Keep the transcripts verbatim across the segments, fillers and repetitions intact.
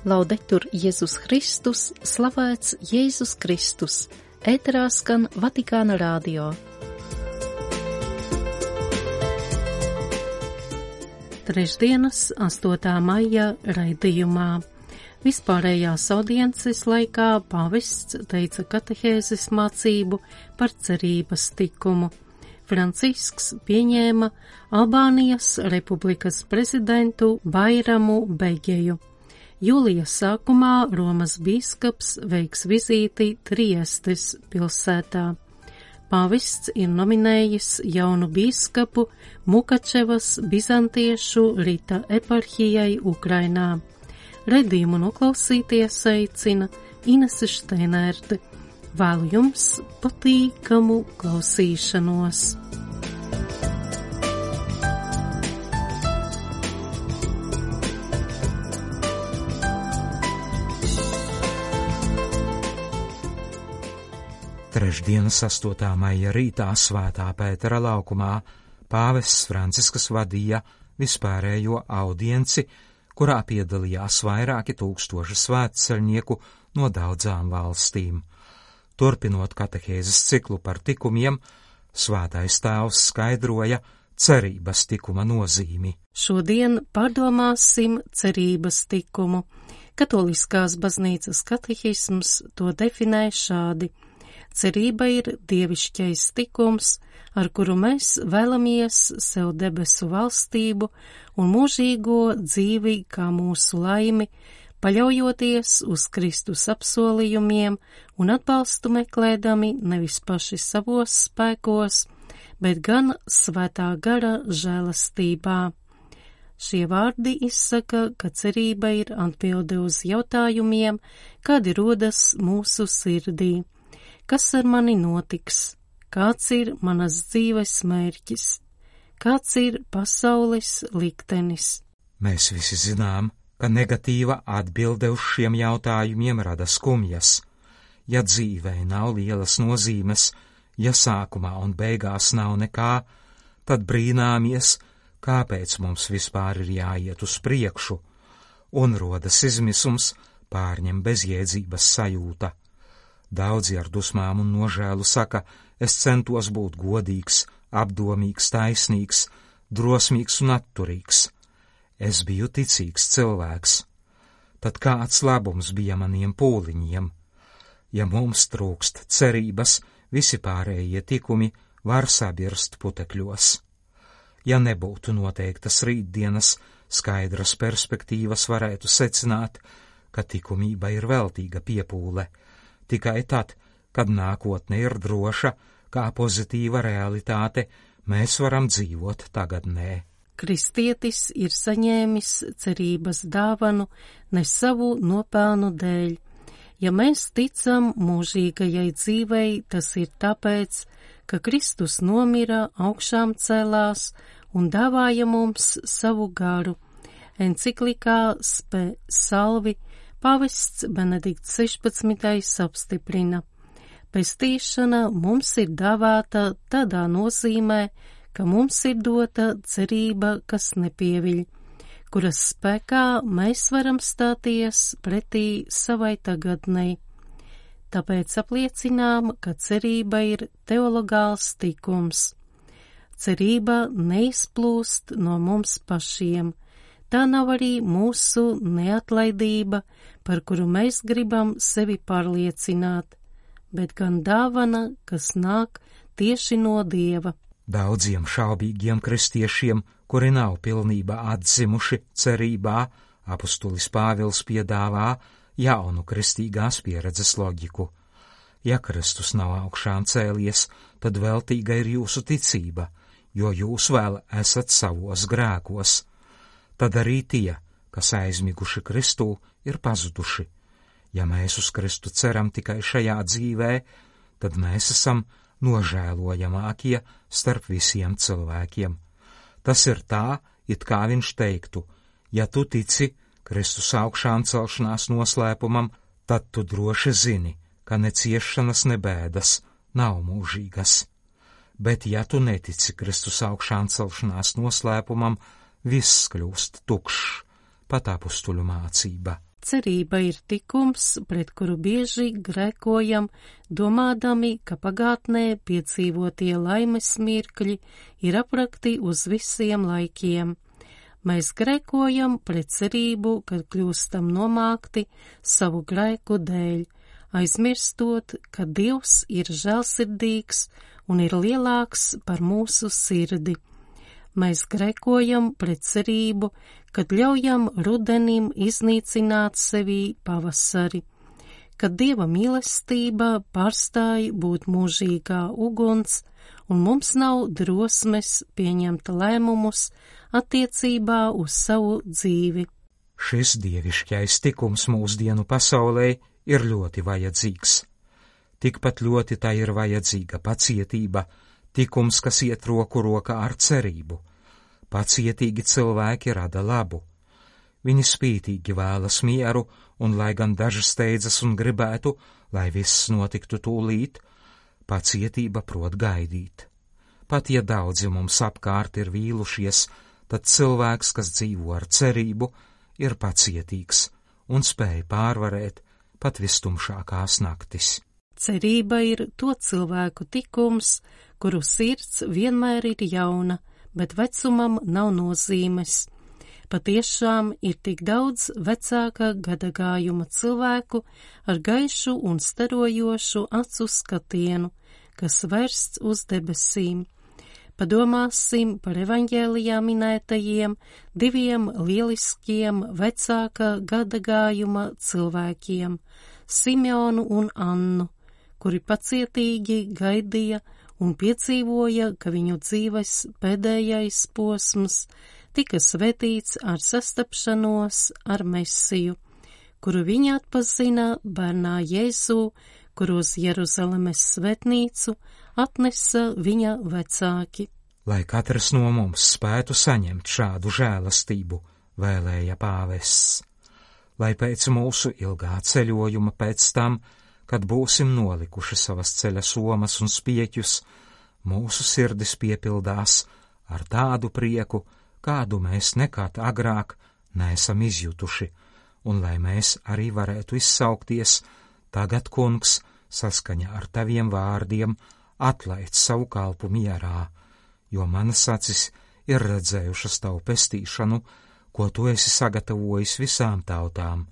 Laudetur Jēzus Kristus, slavēts Jēzus Kristus, ēterā skan Vatikāna radio. Trešdienas, astotā maija raidījumā. Vispārējās audiences laikā pāvests teica katehēzes mācību par cerības tikumu. Francisks pieņēma Albānijas republikas prezidentu Bairamu Begeju. Jūlija sākumā Romas bīskaps veiks vizīti Triestes pilsētā. Pāvests ir nominējis jaunu bīskapu Mukačevas bizantiešu rita eparhijai Ukrainā. Redījumu noklausīties aicina Inese Šteinerte. Vēlu jums patīkamu klausīšanos. Trešdienas astotā maija rītā Svētā Pētera laukumā pāvests Francisks vadīja vispārējo audienci, kurā piedalījās vairāki tūkstoši svētceļnieku no daudzām valstīm. Turpinot katehēzes ciklu par tikumiem, Svētais Tēvs skaidroja cerības tikuma nozīmi. Šodien pārdomāsim cerības tikumu. Katoliskās baznīcas katehisms to definē šādi. Cerība ir dievišķais tikums, ar kuru mēs vēlamies sev debesu valstību un mūžīgo dzīvi kā mūsu laimi, paļaujoties uz Kristus apsolījumiem un atbalstu meklēdami nevis paši savos spēkos, bet gan svētā gara žēlastībā. Šie vārdi izsaka, ka cerība ir atbilde uz jautājumiem, kādi rodas mūsu sirdī. Kas ar mani notiks? Kāds ir manas dzīves mērķis? Kāds ir pasaules liktenis? Mēs visi zinām, ka negatīva atbilde uz šiem jautājumiem rada skumjas. Ja dzīvē nav lielas nozīmes, ja sākumā un beigās nav nekā, tad brīnāmies, kāpēc mums vispār ir jāiet uz priekšu, un rodas izmisums, pārņem bezjēdzības sajūta. Daudzi ar dusmām un nožēlu saka, es centos būt godīgs, apdomīgs, taisnīgs, drosmīgs un atturīgs. Es biju ticīgs cilvēks. Tad kāds labums bija maniem pūliņiem? Ja mums trūkst cerības, visi pārējie tikumi var sabirst putekļos. Ja nebūtu noteiktas rītdienas, skaidras perspektīvas varētu secināt, ka tikumība ir veltīga piepūle, tikai tad, kad nākotne ir droša, kā pozitīva realitāte, mēs varam dzīvot tagadnē. Kristietis ir saņēmis cerības dāvanu ne savu nopelnu dēļ. Ja mēs ticam mūžīgajai dzīvei, tas ir tāpēc, ka Kristus nomira, augšām celās un dāvāja mums savu garu. Enciklikā Spe Salvi pāvests Benedikts sešpadsmitais apstiprina. Pestīšana mums ir dāvāta tādā nozīmē, ka mums ir dota cerība, kas nepieviļ, kuras spēkā mēs varam stāties pretī savai tagadnei. Tāpēc apliecinām, ka cerība ir teologāls tikums. Cerība neizplūst no mums pašiem. Tā nav arī mūsu neatlaidība, par kuru mēs gribam sevi pārliecināt, bet gan dāvana, kas nāk tieši no Dieva. Daudziem šaubīgiem kristiešiem, kuri nav pilnībā atzimuši cerībā, apustulis Pāvils piedāvā jaunu kristīgās pieredzes loģiku. Ja Kristus nav augšām cēlies, tad veltīga ir jūsu ticība, jo jūs vēl esat savos grēkos. Tad arī tie, kas aizmiguši Kristū, ir pazuduši. Ja mēs uz Kristu ceram tikai šajā dzīvē, tad mēs esam nožēlojamākie starp visiem cilvēkiem. Tas ir tā, it kā viņš teiktu, ja tu tici Kristus augšām celšanās noslēpumam, tad tu droši zini, ka ne ciešanas, ne bēdas nav mūžīgas. Bet ja tu netici Kristus augšām celšanās noslēpumam, viss kļūst tukšs, pat apustuļu mācība. Cerība ir tikums, pret kuru bieži grēkojam, domādami, ka pagātnē piedzīvotie laimes mirkļi ir aprakti uz visiem laikiem. Mēs grēkojam pret cerību, kad kļūstam nomākti savu grēku dēļ, aizmirstot, ka Dievs ir žēlsirdīgs un ir lielāks par mūsu sirdi. Mēs grēkojam pret cerību, kad ļaujam rudenim iznīcināt sevī pavasari, kad Dieva mīlestība pārstāj būt mūžīgā uguns, un mums nav drosmes pieņemt lēmumus attiecībā uz savu dzīvi. Šis dievišķais tikums mūsdienu pasaulē ir ļoti vajadzīgs. Tikpat ļoti tā ir vajadzīga pacietība, tikums, kas iet roku rokā ar cerību. Pacietīgi cilvēki rada labu. Viņi spītīgi vēlas mieru, un lai gan daži steidzas un gribētu, lai viss notiktu tūlīt, pacietība prot gaidīt. Pat ja daudzi mums apkārt ir vīlušies, tad cilvēks, kas dzīvo ar cerību, ir pacietīgs un spēj pārvarēt pat vistumšākās naktis. Cerība ir to cilvēku tikums, kuru sirds vienmēr ir jauna, bet vecumam nav nozīmes. Patiešām ir tik daudz vecāka gadagājuma cilvēku ar gaišu un starojošu acu skatienu, kas vērsts uz debesīm. Padomāsim par evaņģēlijā minētajiem diviem lieliskiem vecāka gadagājuma cilvēkiem, Simeonu un Annu, kuri pacietīgi gaidīja un piedzīvoja, ka viņu dzīves pēdējais posms tika svētīts ar sastapšanos ar Mesiju, kuru viņi atpazina bērnā Jēzū, kur uz Jeruzalemes svētnīcu atnesa viņa vecāki. Lai katrs no mums spētu saņemt šādu žēlastību, vēlēja pāvests, lai pēc mūsu ilgā ceļojuma pēc tam, kad būsim nolikuši savas ceļa somas un spieķus, mūsu sirdis piepildās ar tādu prieku, kādu mēs nekad agrāk neesam izjutuši, un lai mēs arī varētu izsaukties: tagad, kungs, saskaņā ar taviem vārdiem, atlaid savu kalpu mierā, jo manas acis ir redzējušas tavu pestīšanu, ko tu esi sagatavojis visām tautām,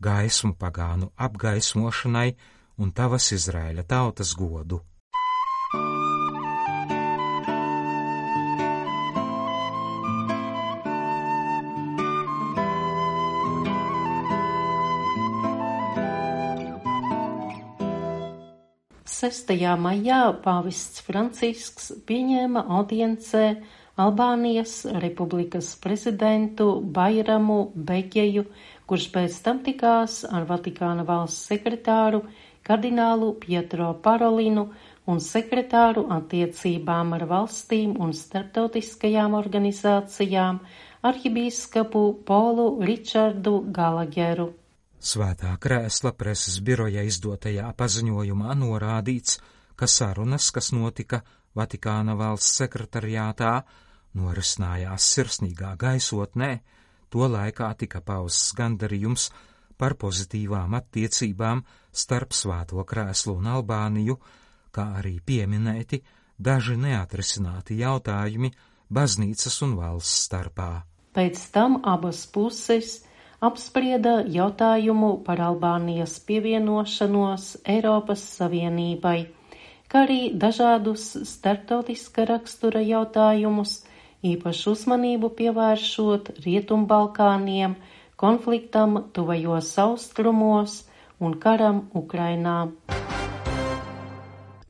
gaismu pagānu apgaismošanai un tavas Izraēļa tautas godu. sestajā maijā pāvests Francisks pieņēma audiencē Albānijas republikas prezidentu Bairamu Begeju, kurš pēc tam tikās ar Vatikāna valsts sekretāru kardinālu Pietro Parolinu un sekretāru attiecībām ar valstīm un starptautiskajām organizācijām arhibīskapu Polu Ričardu Galageru. Svētā krēsla preses biroja izdotajā paziņojumā norādīts, ka sarunas, kas notika Vatikāna valsts sekretariātā, norisinājās sirsnīgā gaisotnē, to laikā tika pausts gandarījums par pozitīvām attiecībām starp Svēto krēslu un Albāniju, kā arī pieminēti daži neatrisināti jautājumi baznīcas un valsts starpā. Pēc tam abas puses apsprieda jautājumu par Albānijas pievienošanos Eiropas Savienībai, kā arī dažādus starptautiska rakstura jautājumus, īpašu uzmanību pievēršot Rietumbalkāniem, konfliktam tuvajos austrumos un karam Ukrainā.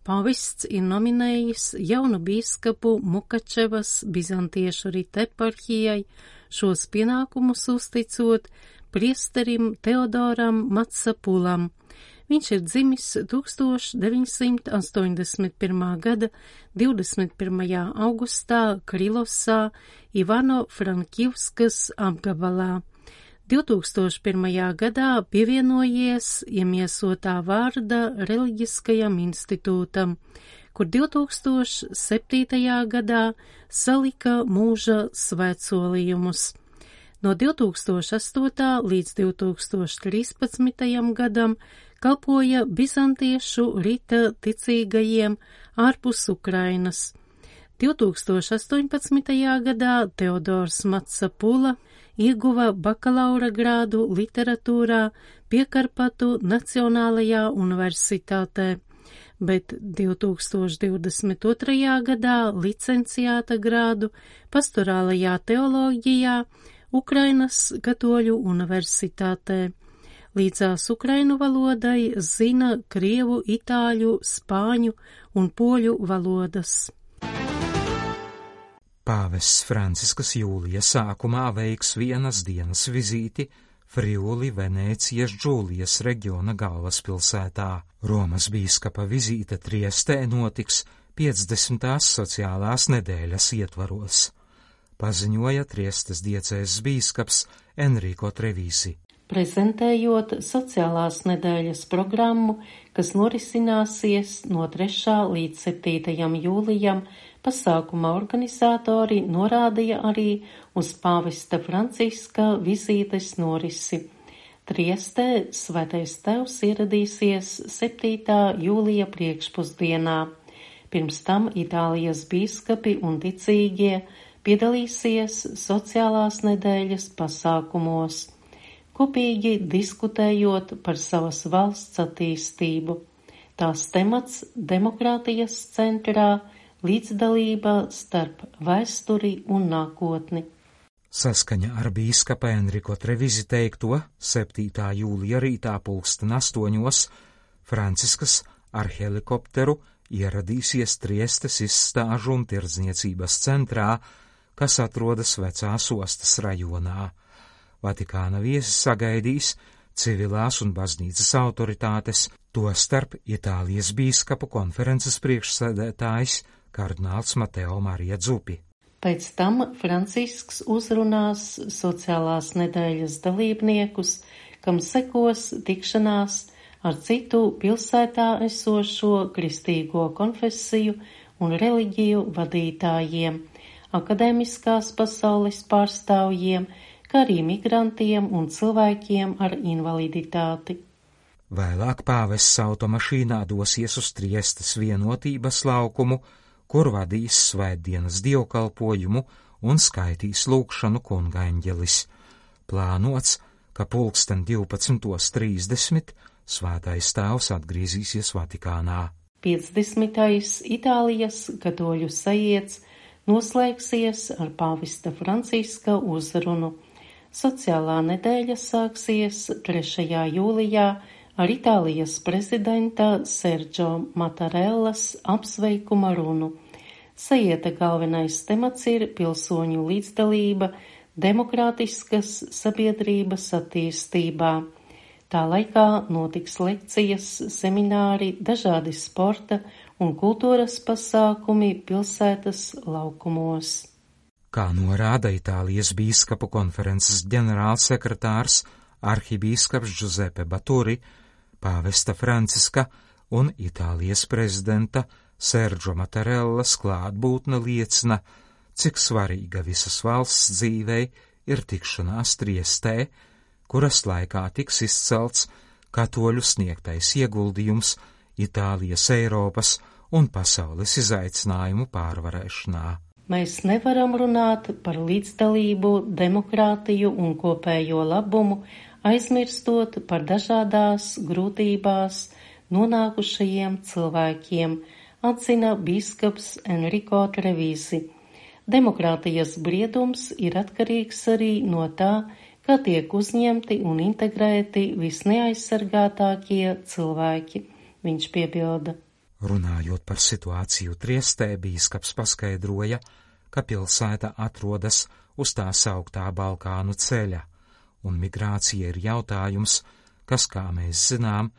Pāvests ir nominējis jaunu bīskapu Mukačevas bizantiešu rite eparhijai, šos pienākumus uzticot priesterim Teodoram Matsapulam. Viņš ir dzimis tūkstoš deviņsimt astoņdesmit pirmā gada divdesmit pirmajā augustā Krilosā, Ivano-Frankivskas apgabalā. divtūkstoš pirmajā gadā pievienojies iemiesotā vārda reliģiskajam institūtam, kur divtūkstoš septītajā gadā salika mūža svētsolījumus. No divi tūkstoši astotā līdz divi tūkstoši trīspadsmitajam gadam kalpoja bizantiešu rita ticīgajiem ārpus Ukrainas. divi tūkstoši astoņpadsmitajā gadā Teodors Matsapula ieguva bakalaura grādu literatūrā Piekarpatu Nacionālajā universitātē, bet divi tūkstoši divdesmit otrajā gadā licenciāta grādu pastorālajā teoloģijā Ukrainas katoļu universitātē. Līdzās ukrainu valodai zina krievu, itāļu, spāņu un poļu valodas. Pāvests Franciskas jūlija sākumā veiks vienas dienas vizīti Friuli Venēcijas Džūlijas reģiona galvaspilsētā. Romas bīskapa vizīte Triestē notiks piecdesmitās sociālās nedēļas ietvaros, paziņoja Triestes diecēzes bīskaps Enrico Trevisi. Prezentējot sociālās nedēļas programmu, kas norisināsies no trešā līdz septītajam jūlijam, pasākuma organizatori norādīja arī uz pāvesta Franciska vizītes norisi. Triestē Svētais Tevs ieradīsies septītā jūlija priekšpusdienā. Pirms tam Itālijas bīskapi un ticīgie piedalīsies sociālās nedēļas pasākumos, kopīgi diskutējot par savas valsts attīstību. Tās temats demokrātijas centrā, līdzdalība starp vēsturi un nākotni. Saskaņa ar bīskapa Enrico Trevisi teikto, septītā jūlija rītā pulksten astoņos Franciskas ar helikopteru ieradīsies Triestes izstāžu un tirdzniecības centrā, kas atrodas Vecās ostas rajonā. Vatikāna viesi sagaidīs civilās un baznīcas autoritātes, tostarp Itālijas bīskapu konferences priekšsēdētājs kardināls Mateo Marija Dzupi. Pēc tam Francisks uzrunās sociālās nedēļas dalībniekus, kam sekos tikšanās ar citu pilsētā esošo kristīgo konfesiju un reliģiju vadītājiem, akadēmiskās pasaules pārstāvjiem, kā arī migrantiem un cilvēkiem ar invaliditāti. Vēlāk pāvests automašīnā dosies uz Triestes vienotības laukumu, kur vadīs svētdienas dievkalpojumu un skaitīs lūgšanu kungaeņģelis. Plānots, ka pulksten divpadsmitos trīsdesmit Svētais Tēvs atgriezīsies Vatikānā. piecdesmitais Itālijas katoļu sajiets noslēgsies ar pāvesta Franciska uzrunu. Sociālā nedēļa sāksies trešajā jūlijā ar Itālijas prezidenta Sergio Mattarellas apsveikuma runu. Sajieta galvenais temats ir pilsoņu līdzdalība demokrātiskas sabiedrības attīstībā. Tā laikā notiks lekcijas, semināri, dažādi sporta un kultūras pasākumi pilsētas laukumos. Kā norāda Itālijas bīskapu konferences ģenerālsekretārs arhibīskaps Giuseppe Baturi, pāvesta Franciska un Itālijas prezidenta Sergio Mattarellas klātbūtne liecina, cik svarīga visas valsts dzīvei ir tikšanās Triestē, kuras laikā tiks izcelts katoļu sniegtais ieguldījums Itālijas, Eiropas un pasaules izaicinājumu pārvarēšanā. Mēs nevaram runāt par līdzdalību, demokrātiju un kopējo labumu, aizmirstot par dažādās grūtībās nonākušajiem cilvēkiem, atzina bīskaps Enrico Trevisi. Demokrātijas briedums ir atkarīgs arī no tā, kā tiek uzņemti un integrēti visneaizsargātākie cilvēki, viņš piebilda. Runājot par situāciju Triestē, bīskaps paskaidroja, ka pilsēta atrodas uz tā sauktā Balkānu ceļa, un migrācija ir jautājums, kas, kā mēs zinām,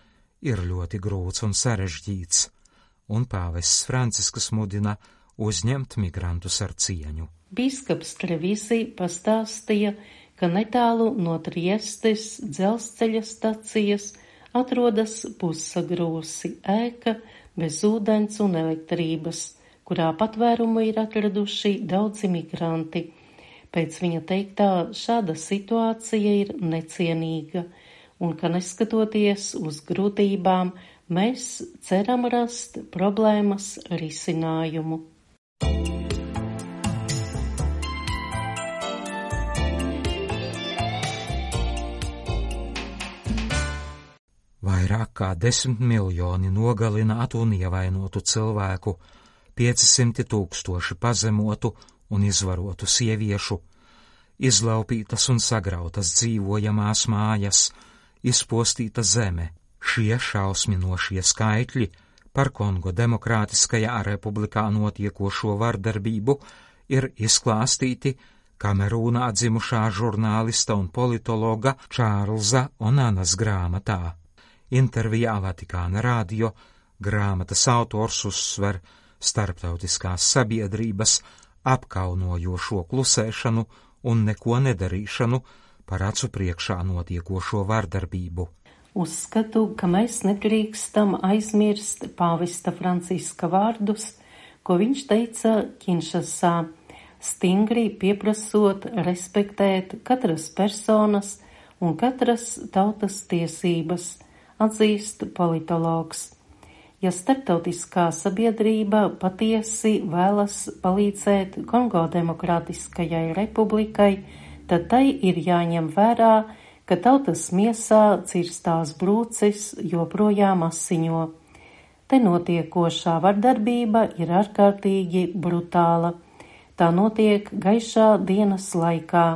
ir ļoti grūts un sarežģīts, un pāvests Francisks mudina uzņemt migrantus ar cieņu. Bīskaps Trevisi pastāstīja, ka netālu no Triestes dzelzceļa stacijas atrodas Pusagrūsi ēka bez ūdens un elektrības, kurā patvērumu ir atraduši daudzi migranti. Pēc viņa teiktā, šāda situācija ir necienīga, un ka neskatoties uz grūtībām, mēs ceram rast problēmas risinājumu. Vairāk kā desmit miljoni nogalinātu un ievainotu cilvēku, piecsimti tūkstoši pazemotu un izvarotu sieviešu, izlaupītas un sagrautas dzīvojamās mājas, izpostīta zeme. Šie šausminošie skaitļi par Kongo Demokrātiskajā republikā notiekošo vardarbību ir izklāstīti Kamerūnā dzimušā žurnālista un politologa Čārlza Onanas grāmatā. Intervijā Vatikāna radio grāmatas autors uzsver starptautiskās sabiedrības apkaunojošo klusēšanu un neko nedarīšanu par acu priekšā notiekošo vardarbību. Uzskatu, ka mēs nedrīkstam aizmirst pāvesta Franciska vārdus, ko viņš teica Kinšasā, stingri pieprasot respektēt katras personas un katras tautas tiesības, atzīst politologs. Ja starptautiskā sabiedrība patiesi vēlas palīdzēt Kongo Demokrātiskajai republikai, tad tai ir jāņem vērā, ka tautas miesā cirstās brūces joprojām asiņo. Te notiekošā vardarbība ir ārkārtīgi brutāla. Tā notiek gaišā dienas laikā.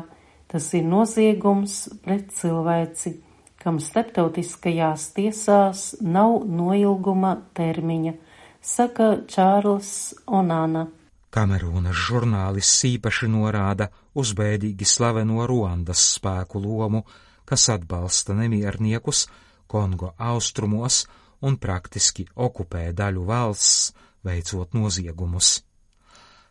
Tas ir noziegums pret cilvēci, kam starptautiskajās tiesās nav noilguma termiņa, saka Čārls Onana. Kamerūnas žurnālists īpaši norāda uz bēdīgi slaveno Ruandas spēku lomu, kas atbalsta nemierniekus Kongo austrumos un praktiski okupē daļu valsts, veicot noziegumus.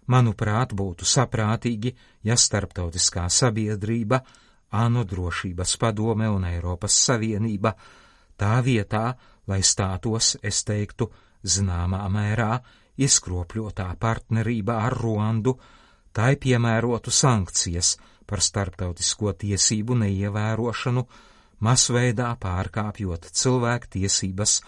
Manuprāt, būtu saprātīgi, ja starptautiskā sabiedrība, ANO drošības padome un Eiropas Savienība tā vietā, lai stātos, es teiktu, zināmā mērā izkropļotā partnerībā ar Ruandu, tai piemērotu sankcijas par starptautisko tiesību neievērošanu, masveidā pārkāpjot cilvēku tiesības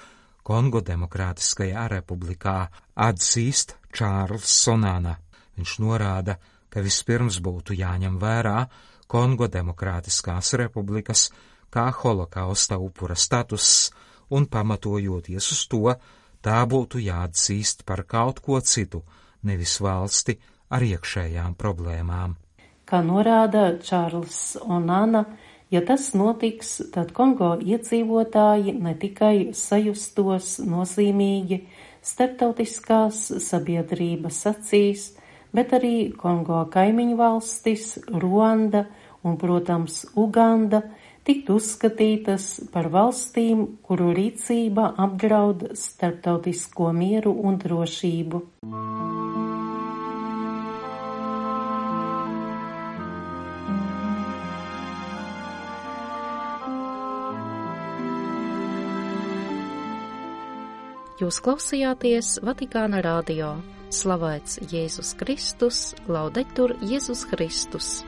Kongo Demokrātiskajā republikā, atzīst Čārls Sonana. Viņš norāda, ka vispirms būtu jāņem vērā Kongo Demokrātiskās republikas kā holokausta upura status, un pamatojoties uz to, tā būtu jāatzīst par kaut ko citu, nevis valsti ar iekšējām problēmām. Kā norāda Čārls Onana, ja tas notiks, tad Kongo iedzīvotāji ne tikai sajustos nozīmīgi starptautiskās sabiedrības acīs, bet arī Kongo kaimiņu valstis, Ruanda un, protams, Uganda tiktu uzskatītas par valstīm, kuru rīcība apdraud starptautisko mieru un drošību. Jūs klausījāties Vatikāna radio. Slavēts Jēzus Kristus, laudetur Jēzus Kristus.